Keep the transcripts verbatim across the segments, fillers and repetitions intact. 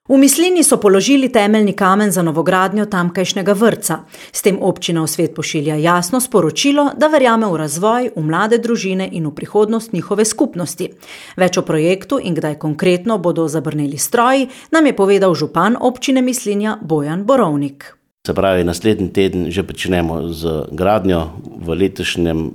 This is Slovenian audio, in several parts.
V Mislini so položili temeljni kamen za novogradnjo tamkajšnjega vrtca. S tem občina v svet pošilja jasno sporočilo, da verjame v razvoj, v mlade družine in v prihodnost njihove skupnosti. Več o projektu in kdaj konkretno bodo zabrneli stroji, nam je povedal župan občine Mislinja Bojan Borovnik. Se pravi, naslednji teden že pričnemo z gradnjo. V letošnjem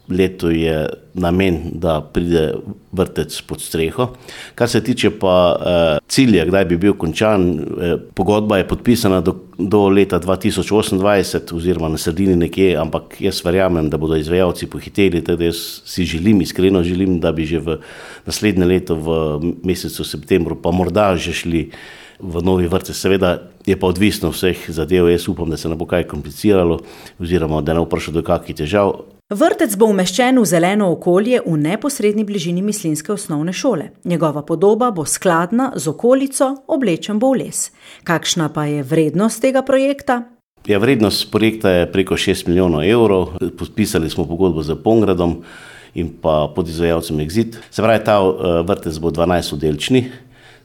letu je namen, da pride vrtec pod streho. Kar se tiče pa eh, cilja, kdaj bi bil končan, eh, pogodba je podpisana do, do leta dva tisoč osemindvajset oziroma na sredini nekje, ampak jaz verjamem, da bodo izvajalci pohiteli, tako jaz si želim, iskreno želim, da bi že v naslednje leto v mesecu septembru pa morda že šli v novi vrtec. Seveda je pa odvisno vseh zadev, jaz upam, da se ne bo kaj kompliciralo oziroma da ne bo prišlo do kakih težav. Vrtec bo umeščen v zeleno okolje v neposredni bližini mislinjske osnovne šole. Njegova podoba bo skladna z okolico, oblečen bo v les. Kakšna pa je vrednost tega projekta? Ja, vrednost projekta je preko šest milijonov evrov. Podpisali smo pogodbo z Pongradom in pa podizvajalcem Exit. Se pravi, ta vrtec bo dvanajstoddelčni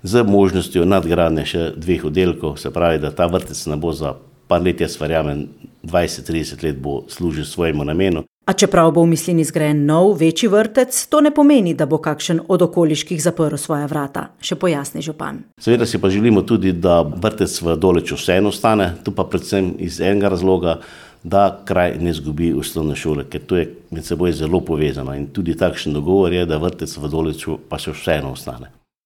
z možnostjo nadgradnje še dveh oddelkov. Se pravi, da ta vrtec ne bo za par let, jaz verjamem, dvajset trideset let bo služil svojemu namenu. A čeprav bo v Mislini zgrajen nov, večji vrtec, to ne pomeni, da bo kakšen od okoliških zaprl svoja vrata, še pojasni župan. Seveda si pa želimo tudi, da vrtec v Doleču vseeno ostane, tu pa predvsem iz enega razloga, da kraj ne izgubi osnovne šole, ker to je med seboj zelo povezano in tudi takšen dogovor je, da vrtec v Doleču pa še vseeno ostane.